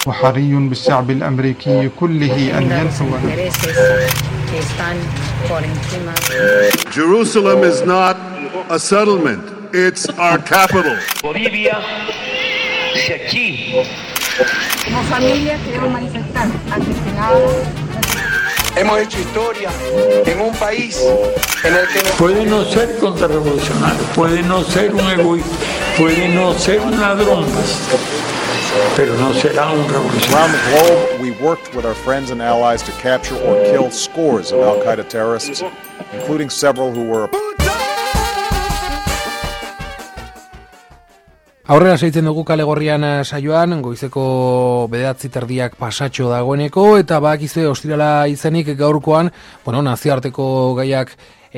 وحري بالشعب الأمريكي كله أن ينفذ. Jerusalem is not a settlement, it's our capital. Bolivia, si aquí. Como familia queremos manifestar ante el Senado. Hemos hecho historia en un país en el que... Puede no ser contrarrevolucionario, puede no ser un egoísta, puede no ser un ladrón, pero no será un revolucionario. Around the globe, we worked with our friends and allies to capture or kill scores of al-Qaeda terrorists, including several who were... Aurrera segitzen dugu Kale Gorrian saioan, goizeko 9:00 pasatxo dagoeneko, eta badakizue ostirala izenik gaurkoan, nazioarteko gaiak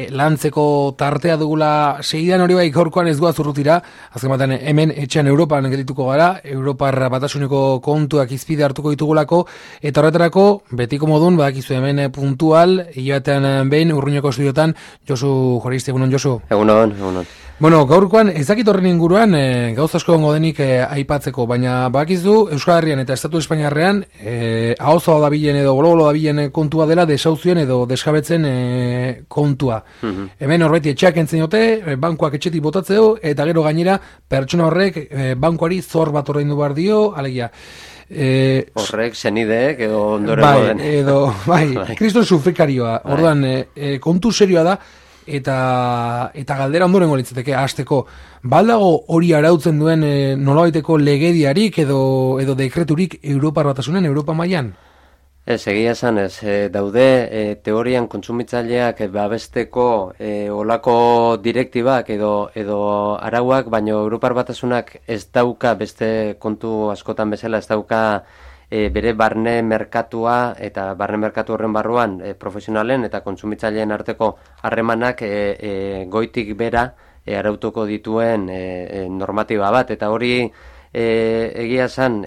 lantzeko tartea dugula segidan, hori bai gaurkoan ez goaz urrutira, azken batean hemen etxean Europan geldituko gara, Europar Batasuneko kontuak izpide hartuko ditugulako, eta horretarako, betiko modun, badakizue hemen puntual, hilabetean behin, Urruñako estudiotan, Josu Joristi, egunon Josu? Egunon. Gaurkoan, ez dakit horren inguruan, gauz asko gongo denik aipatzeko, baina badakizu Euskal Herrian eta Estatu Espainiarrean ahozoa dabilen edo golo dabilen kontua dela desauzioen edo desjabetzen kontua. Hemen horreti etxeak entzen dute, bankuak etxetik botatzeo, eta gero gainera pertsona horrek bankuari zor bat ordaindu behar dio, alegia. Horrek zenideek edo ondoren kriston sufrikarioa, orduan kontu serioa da, eta galdera ondorengo litzateke hasteko, baldago hori arautzen duen nolabaiteko legediarik edo dekreturik Europar Batasunen, Europa mailan? Ez, egia esan ez, daude teorian kontsumitzaileak babesteko olako direktibak edo arauak, baina Europar Batasunak ez dauka, beste kontu askotan bezala, ez dauka bere barne merkatua eta barne merkatu horren barruan profesionalen eta kontsumitzaileen arteko harremanak goitik bera arautuko dituen normatiba bat, eta hori egia esan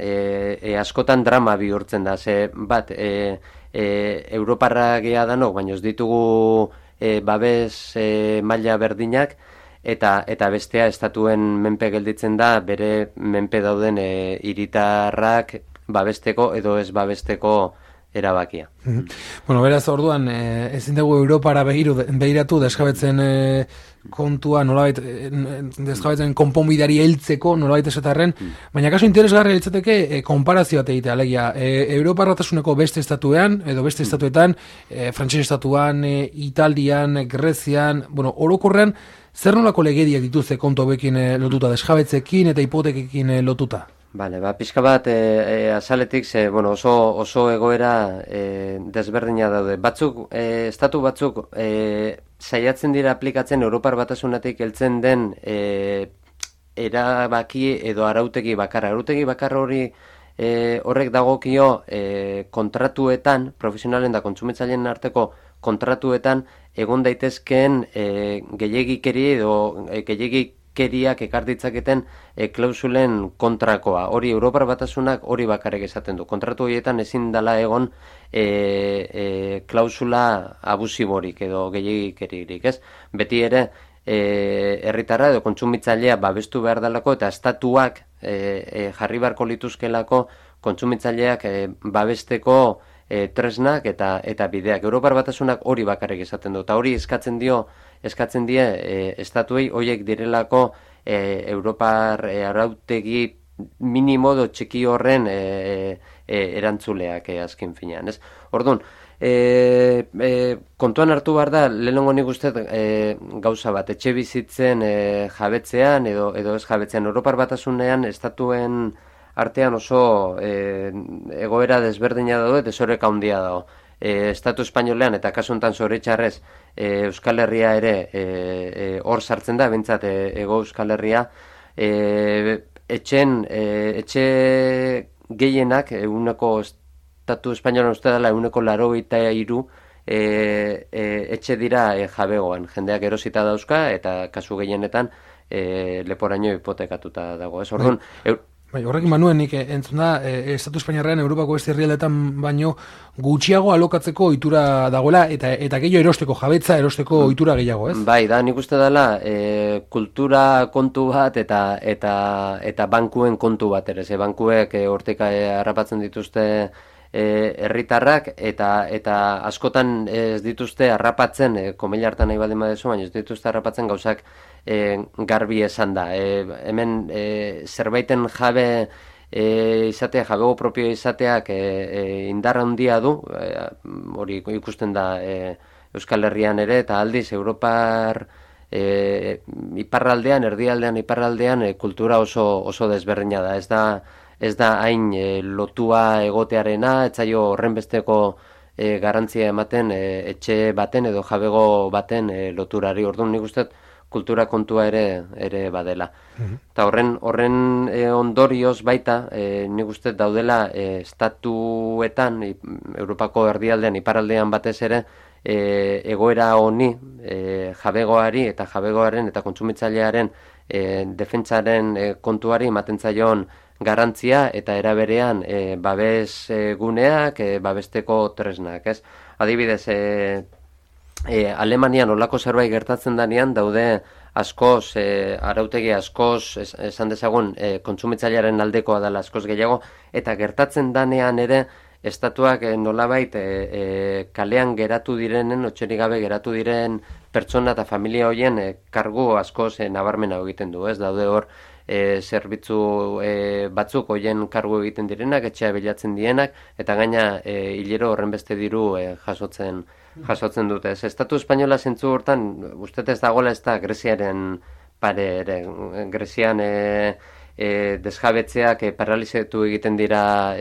askotan drama bihurtzen da, ze bat Europarra gea danok, baina ez ditugu babes maila berdinak, eta bestea estatuen menpe gelditzen da bere menpe dauden hiritarrak babesteko edo ez babesteko erabakia. Beraz, orduan, ezin dugu Europara begiratu desjabetzen kontua, nolabait, desjabetzen konponbidari heltzeko, nolabait esatarren, baina kaso interesgarria litzateke konparazioa egitea, alegia, Europar Batasuneko beste estatuean, edo beste estatuetan, frantses estatuan, Italian, Grezian, orokorrean, zer nolako legediak dituzte kontu hauekin lotuta, desjabetzekin eta hipotekekin lotuta? Bale, pixka bat azaletik, oso egoera desberdina daude. Estatu batzuk saiatzen dira aplikatzen Europar Batasunetik heltzen den erabaki edo arautegi bakarra. Arautegi bakarra horrek dagokio kontratuetan, profesionalen da kontsumitzaileen arteko kontratuetan, egon daitezkeen gehiegikeri edo gehiegikeriak ekar ditzaketen klausulen kontrakoa. Hori Europar Batasunak hori bakarrik esaten du. Kontratu horietan ezin dela egon klausula abusiborik edo gehiegikeririk, ez? Beti ere herritarra edo kontsumitzailea babestu behar dalako, eta estatuak jarri beharko lituzkelako kontsumitzaileak babesteko tresnak eta bideak. Europar Batasunak hori bakarrik esaten du, eta hori eskatzen die estatuei horiek direlako Europar arautegi minimo do txiki horren erantzuleak azken finean, ez? Orduan, kontuan hartu behar da, lehenengo nik uste gauza bat, etxe bizitzen jabetzean edo ez jabetzean, Europar Batasunean estatuen artean oso egoera desberdina dago eta desoreka handia dago. Estatu espainolean eta kasu honetan zoritxarrez Euskal Herria ere hor sartzen da, bintzat Hego Euskal Herria, etxe gehienak eguneko Estatu espainolean uste dela 83 etxe dira jabegoan, jendeak erosita dauzka eta kasu gehienetan leporaino hipotekatuta dago. Ez orduan, Bai, horrekin manuen nik entzun da, Estatu Espainiarrean Europako beste herrialdeetan baino gutxiago alokatzeko ohitura dagoela eta gehiago erosteko jabetza, erosteko ohitura gehiago, ez? Bai, da, nik uste dela kultura kontu bat eta bankuen kontu bat ere. Bankuek hortik harrapatzen dituzte herritarrak eta askotan ez dituzte harrapatzen, komila hartan nahi baldin badezu, baina ez dituzte harrapatzen gauzak garbi esan da. Hemen zerbaiten jabe izatea, jabego propio izateak indarra handia du, hori ikusten da Euskal Herrian ere, eta aldiz Europar iparraldean, erdialdean, iparraldean kultura oso desberdina da. Ez da hain lotua egotearena, etzaio horrenbesteko garantzia ematen etxe baten edo jabego baten loturari. Orduan nik uste kultura kontua ere badela. Eta horren ondorioz baita, nik uste daudela estatuetan, Europako erdialdean, iparraldean batez ere, egoera honi, jabegoari eta jabegoaren eta kontsumitzailearen defentsaren kontuari ematen zaion garantzia eta eraberean babes guneak, babesteko tresnak, ez? Adibidez, Alemanian olako zerbait gertatzen danean daude askoz, arautegi askoz, esan dezagun, kontsumitzailearen aldekoa dela askoz gehiago, eta gertatzen danean ere, estatuak nolabait kalean geratu direnen, otxerik gabe geratu diren pertsona eta familia horien kargu askoz nabarmena egiten du, ez? Daude hor zerbitzu batzuk horien kargu egiten direnak, etxea bilatzen dienak, eta gaina hilero horren beste diru jasotzen dute. Ez Estatu Espainola zentzu hortan, uste ez dagoela ez da Greziaren pare ere. Grezian desjabetzeak paralizetu egiten dira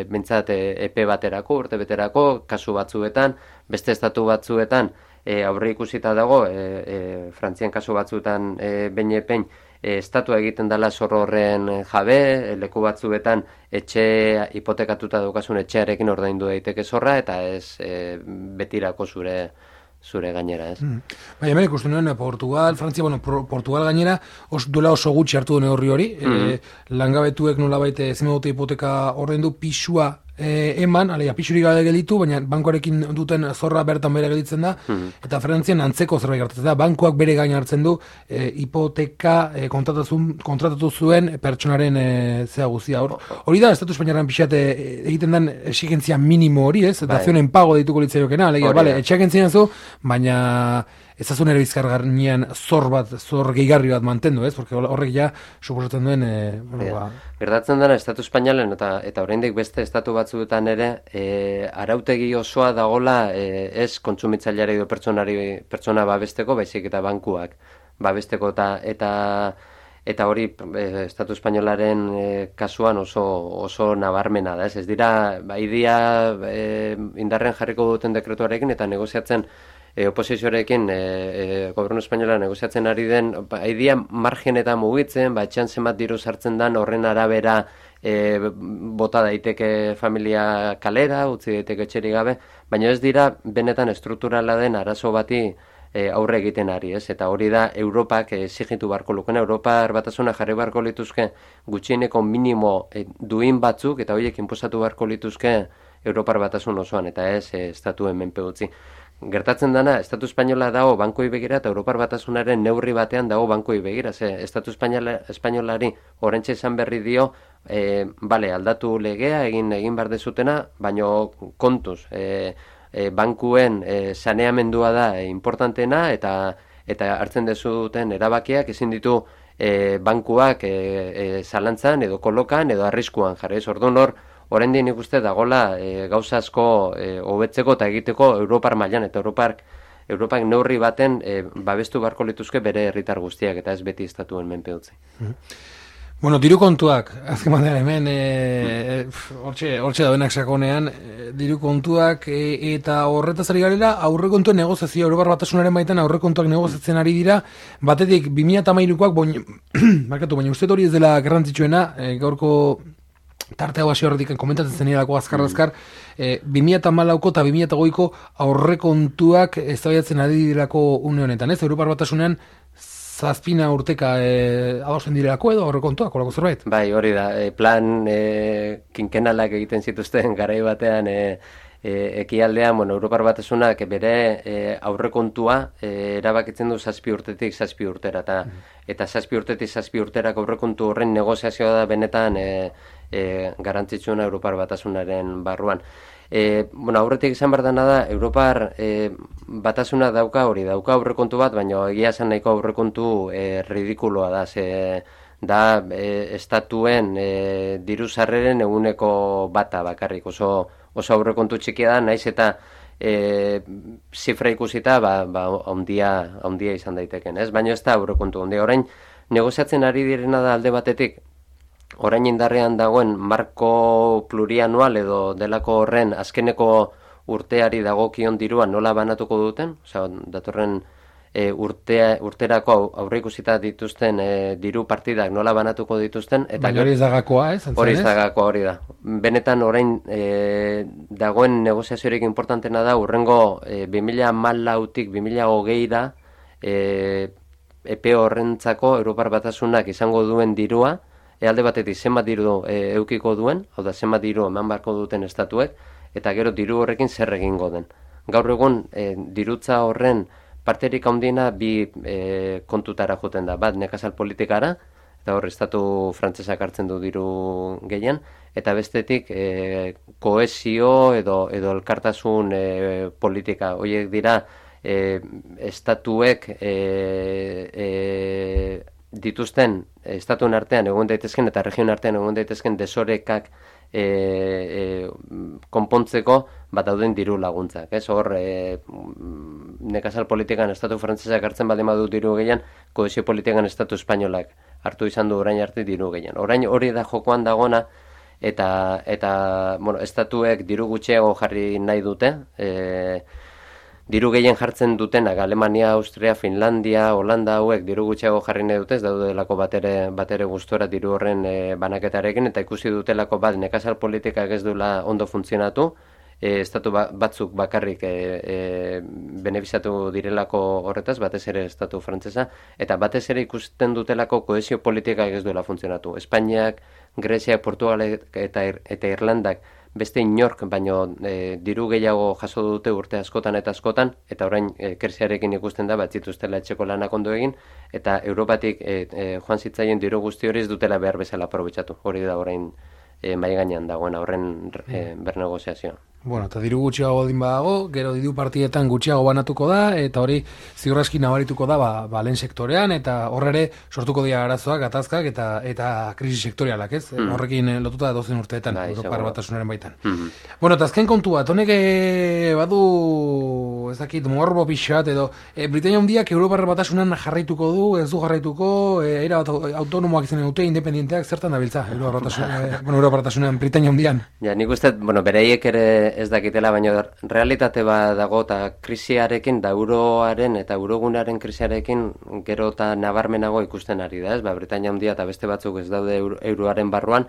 bintzat epe baterako, urte beterako, kasu batzuetan, beste estatu batzuetan aurre ikusita dago, Frantzian kasu batzuetan behin estatua egiten dela zorro horren jabe, leku batzuetan etxe hipotekatuta daukasun etxearekin ordaindu daiteke zorra, eta ez betirako zure gainera, ez? Bai, hemen ikusten nuen Portugal, Frantzia, Portugal gainera duela oso gutxi hartu du neurri hori, langabetuek nolabait ezin dute hipoteka ordaindu pisua eman, alegia pisurik gabe gelditu, baina bankoarekin duten zorra bertan bere gelditzen da, eta Frantzian antzeko zerbait gertatzen da, bankoak bere gain hartzen du hipoteka kontratatu zuen pertsonaren zea guztia. Hori da, Estatu Espainiarran pixat egiten den exigentzia minimo hori, ez? Dazionen pago dituko litzaiokena, alegia, etxeak entzien zu, baina ezazun ere bizkargarnian zor gehigarri bat mantendu, ez? Porque horrek ja suposatzen duen... Gertatzen dena, Estatu Espainalen eta oraindik beste estatu batzuetan ere, arautegi osoa dagola ez kontsumitzaileari edo pertsona babesteko, baizik eta bankuak babesteko eta hori Estatu Espainolaren kasuan oso nabarmena da, ez dira, idia indarren jarriko duten dekretuarekin eta negoziatzen oposizioarekin gobernu espainola negoziatzen ari den, idia margen eta mugitzen, etxean zenbat diru sartzen dan, horren arabera bota daiteke familia kalera, utzi daiteke etxerik gabe, baina ez dira benetan estrukturala den arazo bati aurre egiten ari, ez? Eta hori da Europak exigitu barko lukena, Europar batasuna jarri barko lituzke gutxieneko minimo duin batzuk, eta horiek inposatu barko lituzke Europar batasun osoan, eta ez estatuen menpe utzi. Gertatzen dana, Estatu Espainola dago bankoi begira eta Europar batasunaren neurri batean dago bankoi begira. Estatu Espainolari orentxe esan berri dio, aldatu legea, egin behar dezutena, baina kontuz, bankuen saneamendua da importantena eta hartzen dezuten erabakiak ezin ditu bankuak zalantzan edo kolokan edo arriskuan jarri. Orduan hor, oraindik nik uste dagola gauza asko hobetzeko eta egiteko Europar mailan, eta Europak neurri baten babestu beharko lituzke bere herritar guztiak, eta ez beti estatuen menpe utzi. Bueno, diru kontuak, azken batean hemen, hortxe daudenak sakonean, diru kontuak eta horretaz ari garela, aurrekontuen negoziazio, Europar batasunaren baitan aurrekontuak negoziatzen ari dira, batetik 2013koak, baina uste hori ez dela garrantzitsuena, gaurko tarte hau hasi horretik komentatzen zenidako azkar-azkar, 2014ko eta 2008ko aurrekontuak eztabaidatzen ari direlako une honetan, ez? Europar batasunean zazpina urteka adosten direlako edo aurrekontuak, horako zerbait? Bai, hori da, plan kinkenalak egiten zituzten garai batean ekialdean, Europar Batasunak bere aurrekontua erabakitzen du 7 urtetik 7 urtera, eta 7 urtetik 7 urterako aurrekontu horren negoziazioa da benetan garrantzitsuna Europar Batasunaren barruan. Aurretik izan behar dena da, Europar Batasuna dauka aurrekontu bat, baina egia esan nahiko aurrekontu ridikuloa da, da estatuen diru sarreren eguneko bata bakarrik, oso aurrekontu txikia da, naiz eta zifra ikusita handia izan daiteken, ez? Baina ez da aurrekontu handia. Orain negoziatzen ari direna da alde batetik, orain indarrean dagoen marko plurianual edo delako horren azkeneko urteari dagokion dirua nola banatuko duten, datorren urterako aurreikusita dituzten diru partidak nola banatuko dituzten. Baina hori ez dagakoa, ez? Hori ez dagakoa, hori da. Benetan orain dagoen negoziaziorik importantena da, urrengo 2014-tik 2020-ra epe horrentzako Europar Batasunak izango duen dirua, alde batetik zenbat diru eukiko duen, hau da zenbat diru eman beharko duten estatuek, eta gero diru horrekin zer egingo den. Gaur egun dirutza horren parterik handiena bi kontutara joten da, bat nekazal politikara, eta hor estatu frantsesak hartzen du diru gehien, eta bestetik kohesio edo elkartasun politika. Horiek dira estatuek dituzten estatuen artean egon daitezken eta region artean egon daitezken desorekak konpontzeko dauden diru laguntzak. Hor nekazal politikan estatu frantsesak hartzen baldin badu diru gehien, kohesio politikan estatu espainolak hartu izan du orain arte diru gehien. Orain hori da jokoan dagona, eta estatuek diru gutxiago jarri nahi dute, diru gehien jartzen dutenak, Alemania, Austria, Finlandia, Holanda hauek diru gutxiago jarri nahi dute, ez daudelako batere gustora diru horren banaketarekin, eta ikusi dutelako bat nekazal politikak ez duela ondo funtzionatu, estatu batzuk bakarrik benefiziatu direlako horretaz, batez ere estatu frantsesa, eta batez ere ikusten dutelako kohesio politikak ez duela funtzionatu. Espainiak, Greziak, Portugalek eta Irlandak beste inork, baino diru gehiago jaso dute urte askotan, eta orain krisiarekin ikusten da, zituztela etxeko lanak ondo egin, eta Europatik joan zitzaien diru guzti hori ez dutela behar bezala aprobetxatu. Hori da orain mai gainean dagoen horren bernegoziazioa. Eta diru gutxiago din badago, gero diru partietan gutxiago banatuko da, eta hori ziurraski nabarituko da lehen sektorean, eta horre sortuko dira arazoak, gatazkak eta krisi sektorialak, ez? Horrekin lotuta dozen urteetan, Europar Batasunaren baitan. Eta azken kontu bat, honek badu, ez dakit, morbo pixat, edo Britania Handiak Europar Batasunan jarraituko du, ez du jarraituko, era bat autonomoak izan dute, independienteak, zertan dabiltza, Europar Batasunan Britania Handian? Ja, nik uste, bereiek ere ez dakitela, baina realitate bat dago, eta krisiarekin, da euroaren eta eurogunearen krisiarekin gero eta nabarmenago ikusten ari da, ez? Britania Handia eta beste batzuk ez daude euroaren barruan,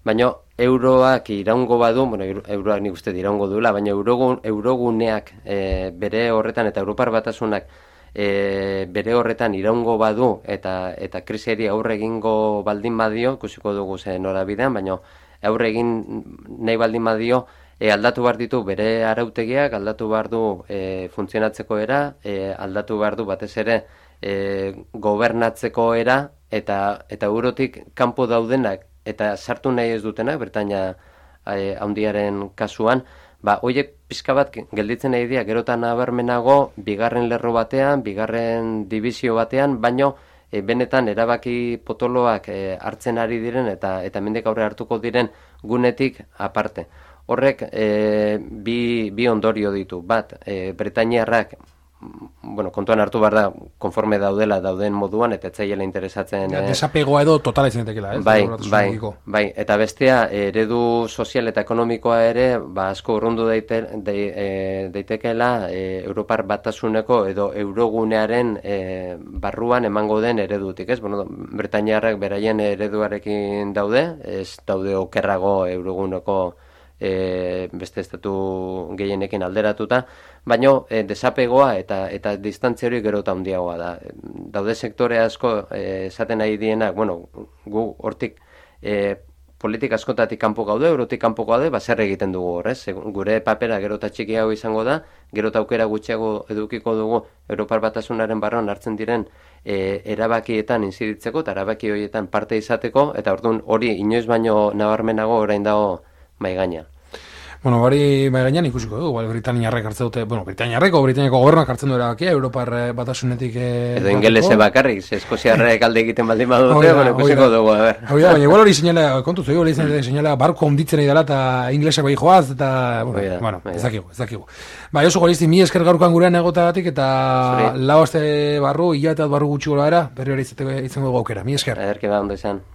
baina euroak iraungo badu, euroak nik uste iraungo duela, baina euroguneak bere horretan eta Europar Batasunak bere horretan iraungo badu eta krisiari aurre egingo baldin badio, ikusiko dugu zen norabidean, baina aurre egin nahi baldin badio, aldatu behar ditu bere arautegiak, aldatu behar du funtzionatzeko era, aldatu behar du batez ere gobernatzeko era, eta eurotik kanpo daudenak, eta sartu nahi ez dutenak, Britania Handiaren kasuan, horiek pixka bat gelditzen nahi dira, gerotan nabarmenago, bigarren lerro batean, bigarren dibizio batean, baino benetan erabaki potoloak hartzen ari diren, eta mendik aurre hartuko diren gunetik aparte. Horrek bi ondorio ditu. Bat, Britainiarrak kontuan hartu behar da, konforme dauden moduan, eta etzaiela interesatzen... Desapegoa edo totala izan datekela, ez? Bai, eta bestea, eredu sozial eta ekonomikoa ere, asko urrundu daitekeela Europar Batasuneko edo eurogunearen barruan emango den eredutik, ez? Britainiarrak beraien ereduarekin daude, ez daude okerrago euroguneko beste estatu gehienekin alderatuta, baino desapegoa eta distantzia hori gero eta handiagoa da. Daude sektore asko esaten nahi dienak, bueno, gu hortik politika askotatik kanpo gaude, eurotik kanpo gaude, zer egiten dugu horrez. Gure papera gero eta txikiago izango da, gero eta aukera gutxiago edukiko dugu Europar Batasunaren barruan hartzen diren erabakietan inziditzeko eta erabaki horietan parte izateko, eta orduan hori inoiz baino nabarmenago orain dago mai gaina. Bueno, hori bai gainean ikusiko dugu, Britaniarrek hartzen dute, Britaniako gobernuak hartzen du erabakia, Europar Batasunetik edo ingelese bakarrik, Eskoziarrek alde egiten baldin badute, ikusiko dugu, a ber. Baina igual hori seinala, kontuz, hori seinala barko honditzen idala eta inglesak bai joaz, eta, ezakigu. Bai, oso gorizti, mi esker gaurkoan gurean egotagatik, eta lau aste barru, hilabete barru gutxi gola era, berri hori izango dugu aukera, mi esker. Ederki ba, ondo izan.